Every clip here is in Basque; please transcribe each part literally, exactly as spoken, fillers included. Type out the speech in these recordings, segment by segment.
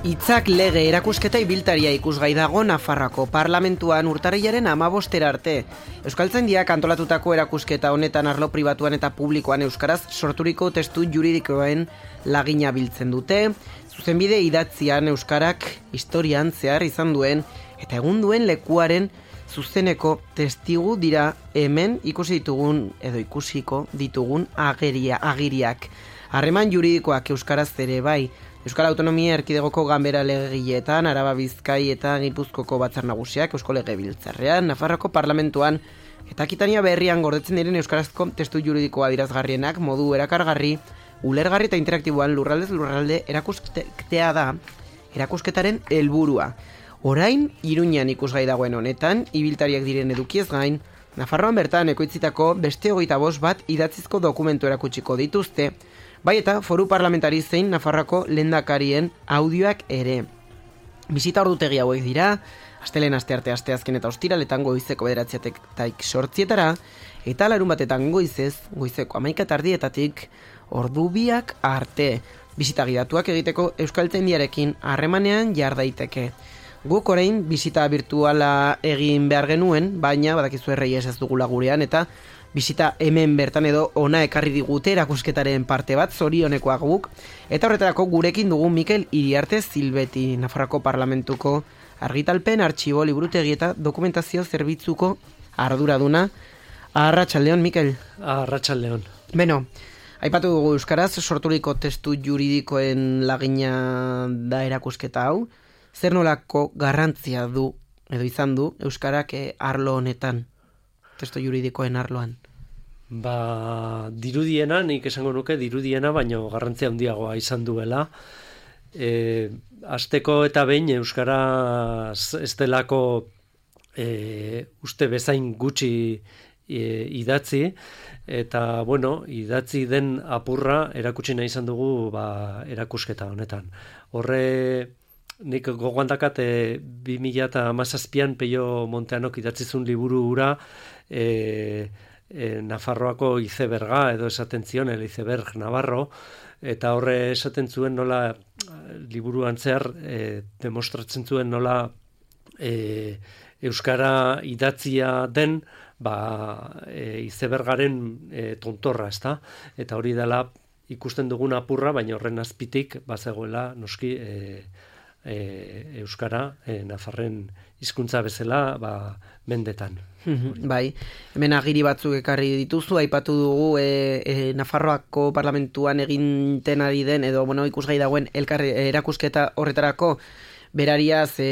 Hitzak lege erakusketa ibiltaria ikusgai dago Nafarroako parlamentuan urtarrilaren hamabostera arte. Euskaltzaindiak antolatutako erakusketa honetan arlo pribatuan eta publikoan euskaraz sorturiko testu juridikoen lagina biltzen dute, zuzenbide idatzian euskarak historian zehar izan duen eta egun duen lekuaren zuzeneko testigu dira hemen ikusi ditugun edo ikusiko ditugun ageria, agiriak. Harreman juridikoak euskaraz ere bai, Euskal Autonomia Erkidegoko ganbera legegileetan, Araba Bizkai eta Gipuzkoko batzar nagusiak, Eusko Legebiltzarrean, Nafarroako parlamentuan eta Akitania berrian gordetzen diren euskarazko testu juridikoa dirazgarrienak modu erakargarri, ulergarri eta interaktiboan lurraldez lurralde erakusketea da erakusketaren helburua. Orain, Iruñan ikusgai dagoen honetan, ibiltariak diren edukiez gain, Nafarroan bertan ekoitzitako beste hogeita bost bat idatzizko dokumentu erakutsiko dituzte, bai eta foru parlamentari zein Nafarroako lehendakarien audioak ere. Bisita ordutegi hauek dira, astelen astearte asteazken eta ostiraletan goizeko bederatzietaik sortzietara, eta larun batetan goizez, goizeko hamaika tardietatik ordubiak arte. Bisita gidatuak egiteko Euskaltzaindiarekin harremanean jar daiteke. Guk orain bisita virtuala egin behar genuen, baina badakizu errei ez dugula gurean, eta bisita hemen bertan edo ona ekarri digute erakusketaren parte bat, zorionekoak guk, eta horretarako gurekin dugu Mikel Iriarte Zilbeti, Nafarroako Parlamentuko argitalpen, artxibo, liburutegi eta dokumentazio zerbitzuko arduraduna. Arratsaldeon, Mikel. Arratsaldeon. Beno, aipatu dugu euskaraz, sorturiko testu juridikoen lagina da erakusketa hau, zer nolako garrantzia du, edo izan du, euskarak arlo honetan, testu juridikoen arloan? Ba, dirudiena, nik esango nuke dirudiena, baino garrantzia handiagoa izan duela. E, Asteko eta behin euskaraz ez delako e, uste bezain gutxi e, idatzi, eta, bueno, idatzi den apurra erakutsi nahi izan dugu ba, erakusketa honetan. Horre, nik gogoan dakat e, bi mila hamazazpian Peio Monteanok idatzizun liburu hura e, e, Nafarroako izeberga edo esaten zion, el iceberg Navarro, eta horre esaten zuen nola liburuan zehar e, demostratzen zuen nola e, euskara idatzia den ba, e, izebergaren e, tontorra, ezta? Eta hori dela ikusten dugun apurra, baina horren azpitik bazegoela noski e, e, euskara e, Nafarren hizkuntza bezala ba, mendetan. Bai, hemen agiri batzuk ekarri dituzu, aipatu dugu e, e, Nafarroako parlamentuan eginten ari den, edo bueno, ikusgai dagoen elkarri, erakusketa horretarako berariaz e,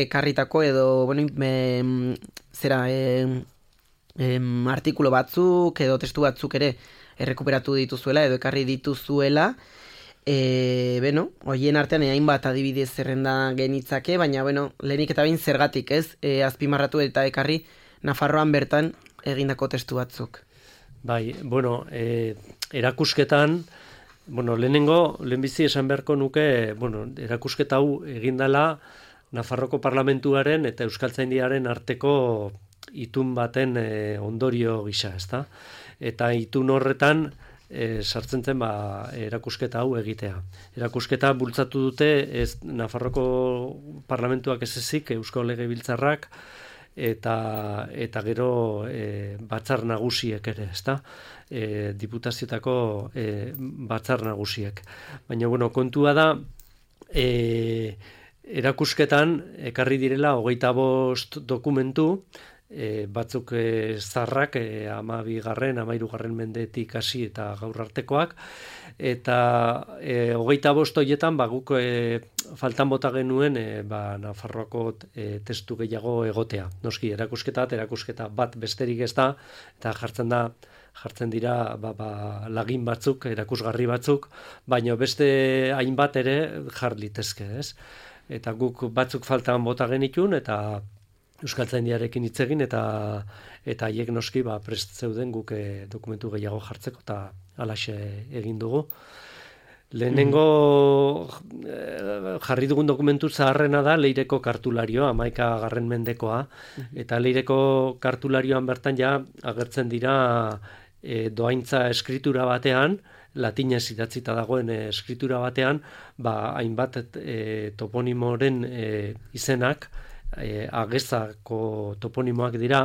ekarritako edo bueno, e, zera e, e, artikulo batzuk edo testu batzuk ere errekuperatu dituzuela edo ekarri dituzuela. E, bueno, hoien artean hainbat adibidez zerrenda genitzake, baina bueno, lehenik eta behin zergatik, ez? E, azpimarratu eta ekarri Nafarroan bertan egindako testu batzuk. Bai, bueno, e, erakusketan, bueno, lehenengo, lehenbizi esan beharko nuke, bueno, erakusketa hau egindala Nafarroko parlamentuaren eta Euskaltzaindiaren arteko itun baten e, ondorio gisa, ezta? Eta itun horretan e, sartzen zen ba, erakusketa hau egitea. Erakusketa bultzatu dute ez Nafarroko parlamentuak ez ezik, Eusko Legebiltzarrak, eta eta gero e, batzar nagusiek ere, ezta? E, diputazioetako e, batzar nagusiek. Baina bueno, kontua da e, erakusketan ekarri direla hogeita bost dokumentu, e, batzuk e, zarrak, e, amabigarren, amairugarren mendetik hasi eta gaur artekoak, eta e, hogeita bost horietan ba, guk e, faltan bota genuen e, ba, Nafarroako e, testu gehiago egotea. Noski, erakusketa, erakusketa bat besterik ez da, eta jartzen da, jartzen dira ba, ba, lagin batzuk, erakusgarri batzuk, baina beste hainbat ere jar litezke, ez? Eta guk batzuk faltan bota genitun, eta Euskaltzaindiarekin hitz egin, eta eta haiek noski ba, prest zeuden guk e, dokumentu gehiago jartzeko, eta halaxe egin dugu. Lehenengo jarri dugun dokumentu zaharrena da Leireko kartularioa, hamaika garren mendekoa, eta Leireko kartularioan bertan ja agertzen dira e, doaintza eskritura batean, latinez idatzita dagoen e, eskritura batean, ba, hainbat e, toponimoren e, izenak, e, agezako toponimoak dira,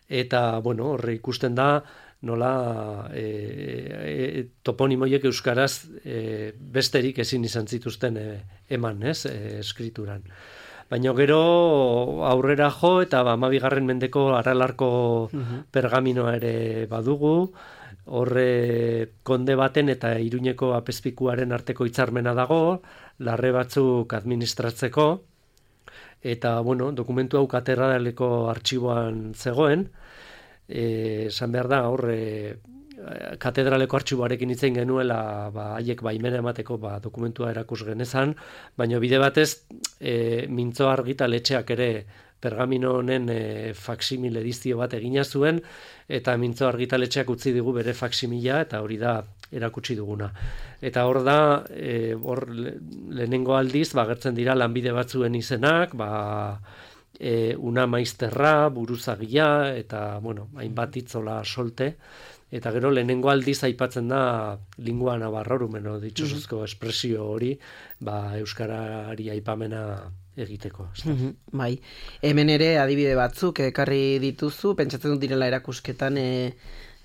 eta, bueno, horre ikusten da, nola e, e, toponimoiek euskaraz e, besterik ezin izan zituzten e, eman, ez, e, eskrituran. Baina gero aurrera jo eta hamabigarren mendeko Aralarko uh-huh. pergaminoa ere badugu, horre konde baten eta Iruñeko apezpikuaren arteko hitzarmena dago, larre batzuk administratzeko, eta, bueno, dokumentu hau katedraleko artxiboan zegoen, esan behar da, horre, katedraleko artxiboarekin hitzein genuela, ba, haiek baimena emateko ba, dokumentua erakus genezan, baina bide batez, e, mintzo argitaletxeak ere pergamino honen e, faksimil edizio bat egina zuen, eta mintzo argitaletxeak utzi digu bere faksimila, eta hori da erakutsi duguna. Eta hor da, e, hor lehenengo aldiz, ba, gertzen dira lanbide batzuen izenak, ba, e, una maizterra, buruzagia, eta, bueno, hainbat itzola solte, eta gero lehenengo aldiz aipatzen da lingua navarrorum, no, ditxosozko mm-hmm. espresio hori, ba, euskarari aipamena egiteko. Mm-hmm. Bai, hemen ere adibide batzuk ekarri dituzu, pentsatzen dut direla erakusketan, e,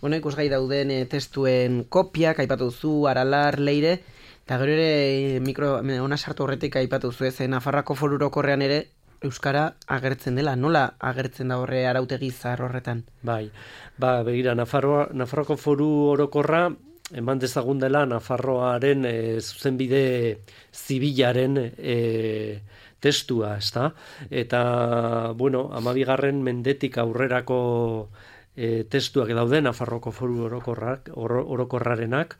bueno, ikusgai dauden e, testuen kopiak, aipatu duzu, Aralar, Leire, eta gero ere mikro, ona sartu horretik aipatu duzu, ez, Nafarroako Foru Orokorrean ere euskara agertzen dela, nola agertzen da horre arautegi zahar horretan? Bai, ba, begira, Nafarroa, Nafarroako Foru Orokorra, eman dezagun dela Nafarroaren e, zuzenbide zibilaren e, testua, ezta? Eta, bueno, hamabigarren mendetik aurrerako e, testuak daude Nafarroako Foru Orokorrak, oro, Orokorrarenak,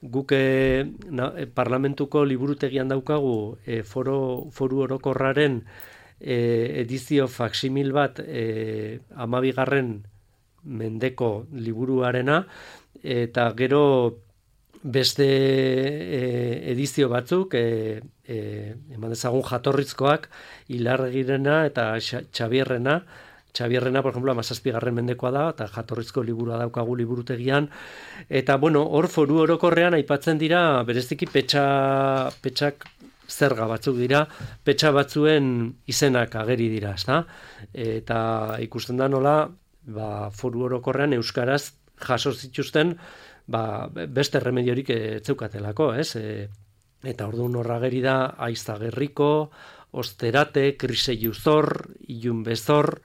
guk e, na, e, parlamentuko liburutegian daukagu e, foro, Foru Orokorraren E, edizio faksimil bat e, hamabigarren mendeko liburuarena, eta gero beste e, edizio batzuk, e, e, eman dezagun jatorrizkoak, Ilargirena eta Xabierrena, Xabierrena, por ejemplo, hamazazpigarren mendekoa da, eta jatorrizko liburua daukagu liburutegian, eta, bueno, hor Foru Orokorrean aipatzen dira, bereziki petxa, petxak zerga batzuk dira, petxa batzuen izenak ageri dira, ezta? Eta ikusten da nola, ba, Foru Orokorrean euskaraz jaso zituzten, ba, beste remediorik etzeukatelako, ez? E, eta orduan horra ageri da Aizagerriko, Osterate, Kriseiuzor, Ilunbezor,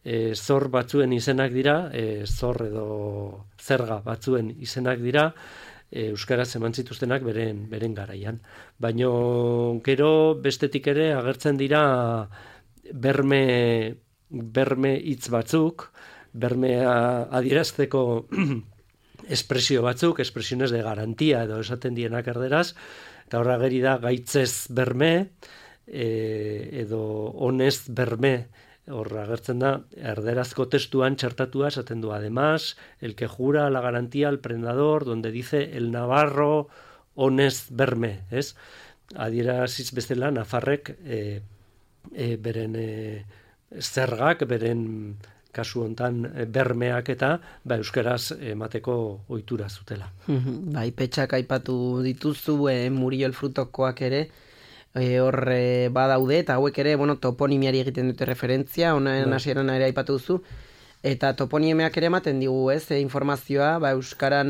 e, zor batzuen izenak dira, e, zor edo zerga batzuen izenak dira, euskaraz eman zituztenak beren, beren garaian. Baina gero bestetik ere agertzen dira berme, berme hitz batzuk, bermea adierazteko espresio batzuk, expresiones de garantía edo esaten dienak erderaz, eta horra geri da gaitzez berme, e, edo honez berme, horra agertzen da, erderazko testuan txertatua esaten du, además, el que jura la garantía al prendador, donde dice el navarro honez berme, ez? Adieraziz bezala, Nafarrek e, e, beren e, zergak, beren kasu hontan bermeak eta ba, euskaraz emateko ohitura zutela. Bai, petxak aipatu dituzu, e, Murillo el Frutokoak ere, E, hor e, badaude, eta hauek ere, bueno, toponimiari egiten dute referentzia, honen hasieran ere aipatu duzu, eta toponimeak ere ematen digu, ez, e, informazioa, ba, euskaran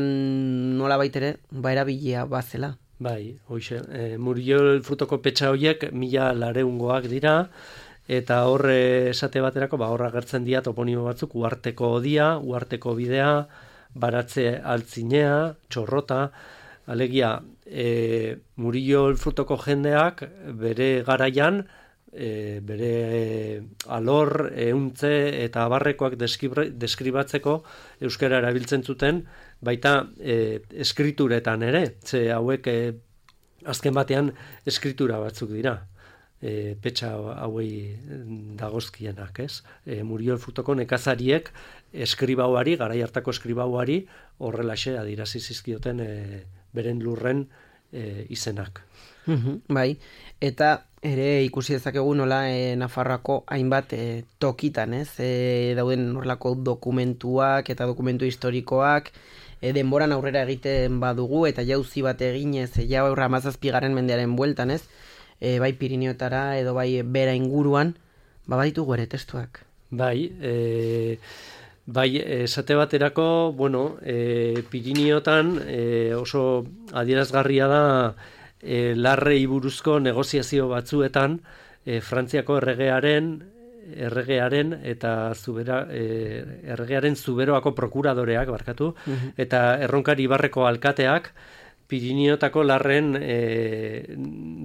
nola baitere, ba, erabilia bazela. Bai, hoxe, e, Murillo el Frutoko petxa horiek mila lareungoak dira, eta hor esate baterako, ba, horra gertzen dira toponimo batzuk, uarteko odia, uarteko bidea, baratze altzinea, txorrota, alegia, e, Murillo el Frutoko jendeak bere garaian, e, bere alor, euntze eta abarrekoak deskribatzeko euskara erabiltzen zuten, baita e, eskrituretan ere, ze hauek e, azken batean eskritura batzuk dira. E, petxa hauei dagozkienak, ez? E, Murillo el Frutoko nekazariek eskribauari, garai hartako eskribauari horrelaxe adirazi zizkioten e, beren lurren e, izenak. Uhum, bai, eta ere ikusi dezakegu nola e, Nafarroako hainbat e, tokitan, ez? E, dauden horrelako dokumentuak eta dokumentu historikoak, e, denboran aurrera egiten badugu, eta jauzi bat eginez, e, jau aurra hamazazpigarren mendearen bueltan, ez? E, bai Pirineotara edo bai bera inguruan, ba baditugu ere testuak. Bai, e, bai, esate baterako, bueno, e, Pirineotan e, oso adierazgarria da e, larrei buruzko negoziazio batzuetan, e, Frantziako erregearen erregearen eta zubera, e, erregearen zuberoako prokuradoreak, barkatu, uh-huh. eta erronkari ibarreko alkateak Pirineotako larren e,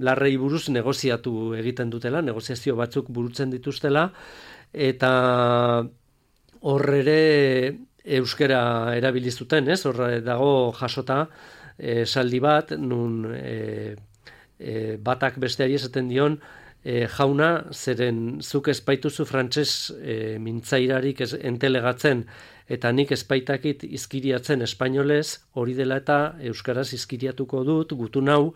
larrei buruz negoziatu egiten dutela, negoziazio batzuk burutzen dituztela, eta hor ere euskera erabili zuten, ez? Hor dago jasota esaldi bat, nun e, e, batak besteari esaten dion, E, jauna, zeren zuk espaituzu frantses e, mintzairarik ez, entelegatzen, eta nik espaitakit izkiriatzen espainolez, hori dela eta euskaraz izkiriatuko dut, gutun hau,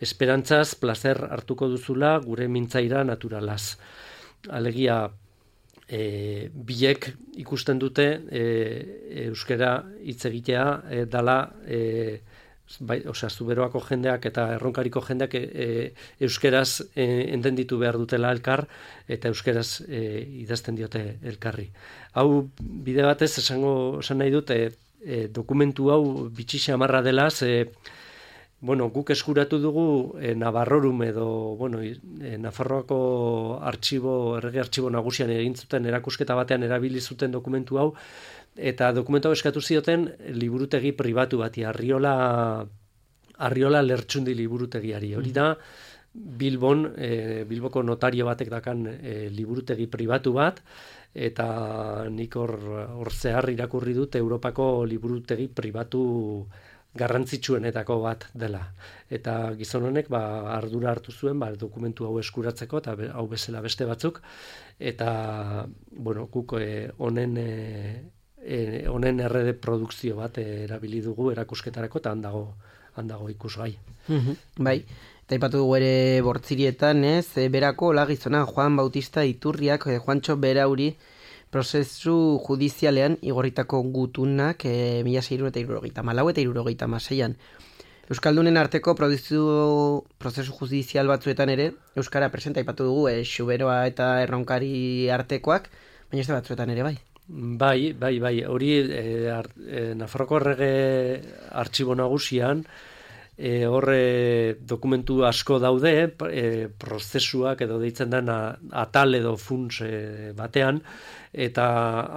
esperantzaz, plazer hartuko duzula gure mintzaira naturalaz. Alegia, e, biek ikusten dute e, euskara hitz egitea e, dala e, bai, osea, zuberoako jendeak eta erronkariko jendeak e, e, euskeraz e, entenditu behar dutela elkar, eta euskeraz e, idazten diote elkarri. Hau, bide batez, esango, esan nahi dut, e, e, dokumentu hau bitxi xamarra dela, ze, bueno, guk eskuratu dugu e, Navarrorum edo, bueno, e, Nafarroako artxibo, errege artxibo nagusian egin zuten erakusketa batean erabili zuten dokumentu hau, eta dokumentu hau eskatu zioten liburutegi pribatu bati, Arriola, Arriola Lertxundi liburutegiari. Hori da, Bilbon, e, Bilboko notario batek dakan e, liburutegi pribatu bat, eta nik hor, hor zehar irakurri dut Europako liburutegi pribatu garrantzitsuenetako bat dela. Eta gizon honek ba, ardura hartu zuen ba, dokumentu hau eskuratzeko, eta hau bezala beste batzuk, eta bueno, guk honen e, honen e, errede produkzio bat e, erabili dugu erakusketarako, eta handago, handago ikusgai. Mm-hmm. Bai, eta ipatu dugu ere Bortzirietan, ez, e, berako hola gizona Juan Bautista Iturriak, e, Juantxo Berauri, prozesu judizialean igorritako gutunak e, mila seiehun eta hirurogeita hamalau eta hirurogeita hamaseian. Euskaldunen arteko prozesu, prozesu judizial batzuetan ere, euskara presenta ipatu dugu, e, Xuberoa eta Erronkari artekoak, baina ez da batzuetan ere bai. Bai, bai, bai, hori e, e, Nafarroko errege artxibo nagusian, e, horre dokumentu asko daude, e, prozesuak edo deitzen dena atal edo funts e, batean, eta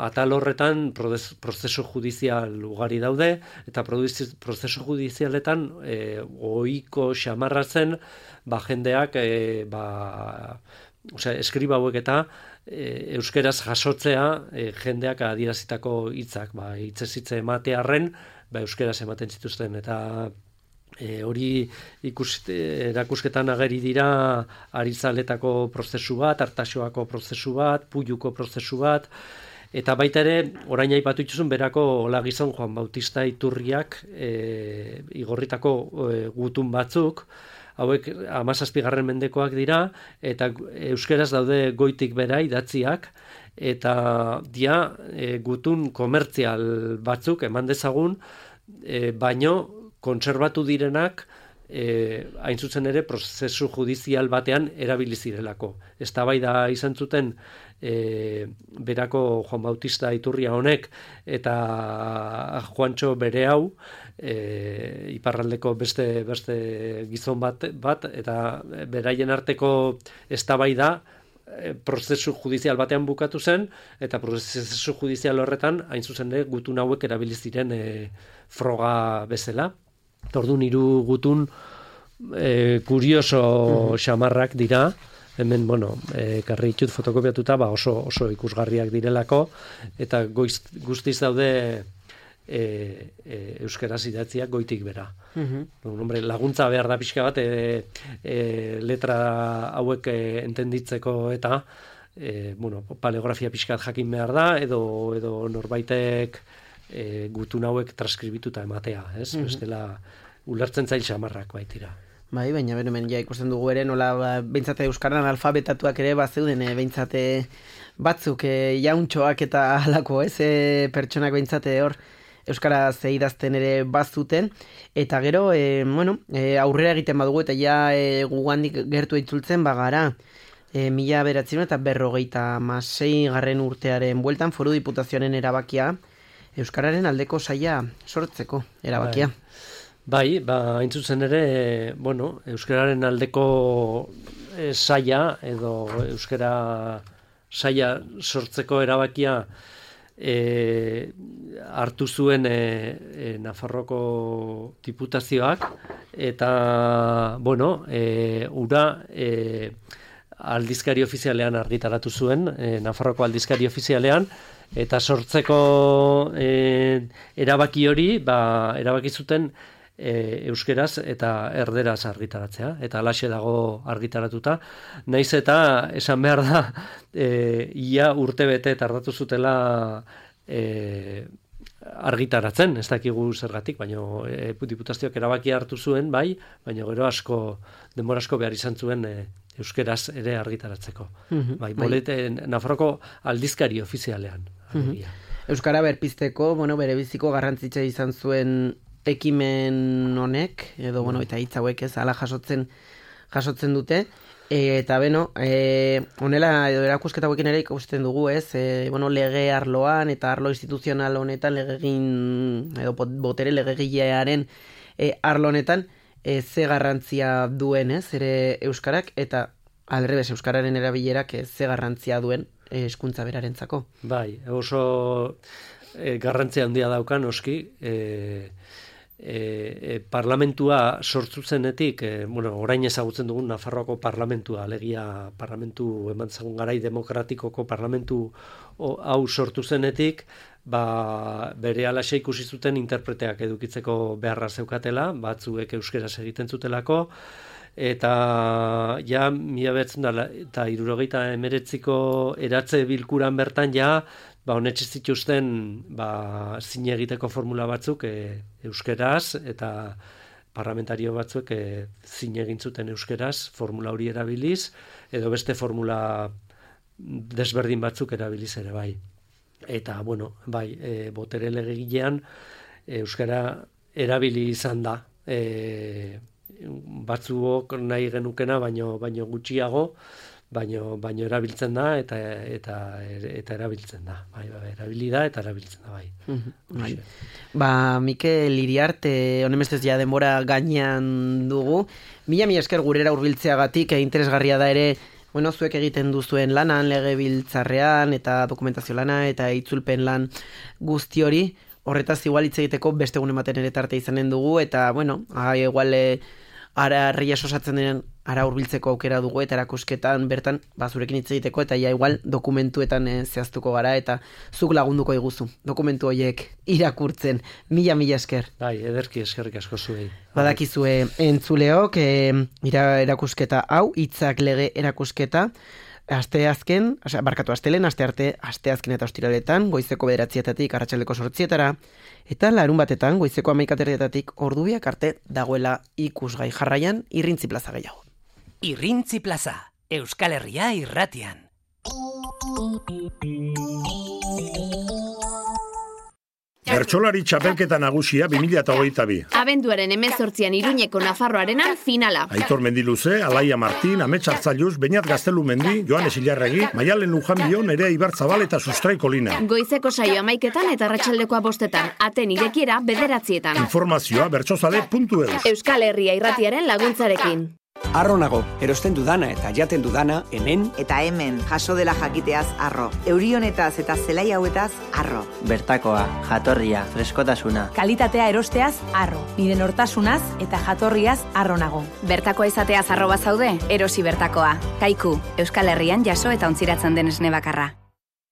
atal horretan prozesu judizial ugari daude, eta prozesu judizialetan e, ohiko xamarra zen, ba, jendeak, e, ba, osea, eskriba hauek eta e, euskeraz jasotzea e, jendeak adierazitako hitzak, ba, hitzez hitze ematearren, ba, euskeraz ematen zituzten, eta E, hori ikus, erakusketan ageri dira Arizaletako prozesu bat, Artaxoako prozesu bat, Puyuko prozesu bat, eta baita ere, orain aipatu ituzun berako hola gizon Juan Bautista Iturriak e, igorritako e, gutun batzuk, hauek hamazazpigarren mendekoak dira, eta euskeraz daude goitik bera idatziak, eta dia e, gutun komertzial batzuk eman dezagun, e, baino kontserbatu direnak e, hain zuzen ere prozesu judizial batean erabili zirelako. Eztabaida izan zuten e, berako Juan Bautista Iturria honek eta Juantxo bere hau, e, iparraldeko beste, beste gizon bat, bat eta beraien arteko eztabaida e, prozesu judizial batean bukatu zen, eta prozesu judizial horretan hain zuzen ere gutun hauek erabili ziren e, froga bezala. Orduan hiru gutun e, kurioso xamarrak dira, hemen, bueno, e, karri ditut fotokopiatuta, ba oso, oso ikusgarriak direlako, eta goiz, guztiz daude e, e, euskaraz idatziak goitik bera. Uh-huh. Hombre, laguntza behar da pixka bat, e, e, letra hauek e, entenditzeko eta, e, bueno, paleografia pixkat jakin behar da, edo, edo norbaitek E, gutun hauek transkribituta ematea, ez? Mm-hmm. Bestela ulertzen zail xamarrak baitira. Bai, baina beren ja ikusten dugu ere nola ba, behintzate euskaran alfabetatuak ere bazeuden e, behintzate batzuk e, jauntxoak eta halako, ez? E, pertsonak behintzate hor euskaraz idazten ere bazuten, eta gero, e, bueno, e, aurrera egiten badugu, eta ja e, gugandik gertu itzultzen bagara, e, mila beratzen eta berrogeita masei garren urtearen bueltan foru diputazioaren erabakia, euskararen aldeko saia sortzeko erabakia. Bai, bai ba, hain zuzen ere, bueno, euskararen aldeko e, saia, edo euskara saia sortzeko erabakia e, hartu zuen e, e, Nafarroko diputazioak, eta, bueno, e, ura e, aldizkari ofizialean argitaratu zuen, e, Nafarroko aldizkari ofizialean, eta sortzeko e, erabaki hori, ba, erabaki zuten e, euskeraz eta erderaz argitaratzea, eta alaxe dago argitaratuta. Naiz eta esan behar da, e, ia urte bete tardatu zutela e, argitaratzen, ez dakigu zergatik, baina e, diputazioak erabaki hartu zuen, bai, baina gero asko, denbora asko behar izan zuen e, euskeraz ere argitaratzeko. Mm-hmm, bai, bolete, Nafarroko aldizkari ofizialean. Mm-hmm. Euskara berpizteko, bueno, bere biziko garrantzitza izan zuen ekimen honek, edo, bueno, eta hitz hauek ez, ala jasotzen, jasotzen dute, e, eta, beno, e, honela, edo erakusketa hauekin ere ikusten dugu, ez, e, bueno, lege arloan, eta arlo instituzional honetan, legegin, edo botere legegilearen e, arlo honetan, e, ze garrantzia duen, ez, ere euskarak, eta aldrebes euskararen erabilerak e, ze garrantzia duen hezkuntza berarentzako. Bai, oso e, garrantzia handia daukan oski, e, e, e, parlamentua sortu zenetik, e, bueno, orain ezagutzen dugun Nafarroako parlamentua, alegia parlamentu eman zagun garai demokratikoko parlamentu o, hau sortu zenetik, ba, bere alaxe ikusi zuten interpreteak edukitzeko beharra zeukatela, batzuek euskeraz egiten zutelako, eta ja mila betzen dela eta hirurogeita hemeretziko eratze bilkuran bertan ja ba honetxe zituzten ba zine egiteko formula batzuk e, euskeraz, eta parlamentario batzuek e, zine egin zuten euskeraz formula hori erabiliz, edo beste formula desberdin batzuk erabiliz ere bai. Eta bueno, bai, e, botere legegilean euskara erabili izan da. E, batzuok nahi genukena baino baino gutxiago, baino baino erabiltzen da eta eta eta erabiltzen da. Bai, bai, erabili da eta erabiltzen da bai. Mm-hmm. Bai. Ba, Mikel Iriarte, honemestez ja denbora gainean dugu. Mila mila esker gurera hurbiltzeagatik, interesgarria da ere, bueno, zuek egiten duzuen lanan, legebiltzarrean eta dokumentazio lana eta itzulpen lan guzti hori. Horretaz igual hitz egiteko beste egun ematen ere tarte izanen dugu, eta, bueno, agai igual e, ara herria osatzen denen ara hurbiltzeko aukera dugu, eta erakusketan bertan bazurekin hitz egiteko, eta ja igual dokumentuetan e, zehaztuko gara, eta zuk lagunduko iguzu dokumentu horiek irakurtzen. Mila, mila esker. Bai, ederki eskerrik asko zuei. Badakizue entzuleok, e, ira, erakusketa hau, hitzak lege erakusketa, aste azken, osea, barkatu astelen, aste arte, aste azken eta ostiraletan, goizeko bederatzietatik arratsaldeko zortzietara, eta larun batetan, goizeko hamaikaterdietatik ordubiak arte dagoela ikusgai. Jarraian, Irrintzi Plaza gehiago. Irrintzi Plaza, Euskal Herria irratian. Bertsolari txapelketa nagusia bi mila hogeita bi. Abenduaren hemezortzian Iruñeko Nafarroarenan finala. Aitor Mendiluze, Alaia Martin, Amets Artzailuz, Beñat Gaztelumendi, Joanes Ilarregi, Maialen Lujanbion, Nerea Ibarzabal eta Sustrai Kolina. Goizeko saio amaiketan eta arratsaldekoa bostetan, aten irekiera bederatzietan. Informazioa bertsozale puntu eus. Euskal Herria irratiaren laguntzarekin. Harro nago, erosten dudana eta jaten dudana, hemen. Eta hemen, jaso dela jakiteaz harro. Euri honetaz eta zelai hauetaz harro. Bertakoa, jatorria, freskotasuna. Kalitatea erosteaz harro. Nire nortasunaz eta jatorriaz harro nago. Bertakoa izateaz harro bazaude, erosi bertakoa. Kaiku, Euskal Herrian jaso eta ontziratzen den esne bakarra.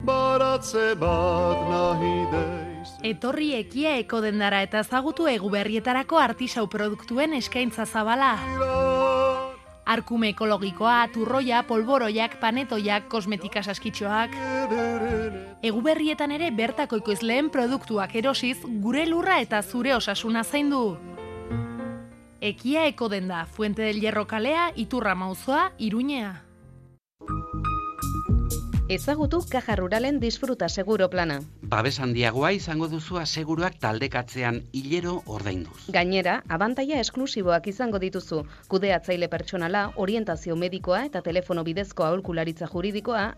Baratze bat nahi deiz. Etorri ekia eko dendara eta ezagutu eguberrietarako artisau produktuen eskaintza zabala. Arkume ekologikoa, turroia, polboroiak, panetoiak, kosmetika saskitxoak. Eguberrietan ere bertako ekoizleen produktuak erosiz, gure lurra eta zure osasuna zaindu. Ekia eko denda, Fuente del Hierro kalea, Iturra Mauzoa, Iruñea. Ezagutu Caja Ruralen disfruta seguro plana. Babes handiagoa izango duzu aseguruak taldekatzean hilero ordainduz. Gainera, abantaila esklusiboak izango dituzu. Kudeatzaile pertsonala, orientazio medikoa eta telefono bidezko aholkularitza juridikoa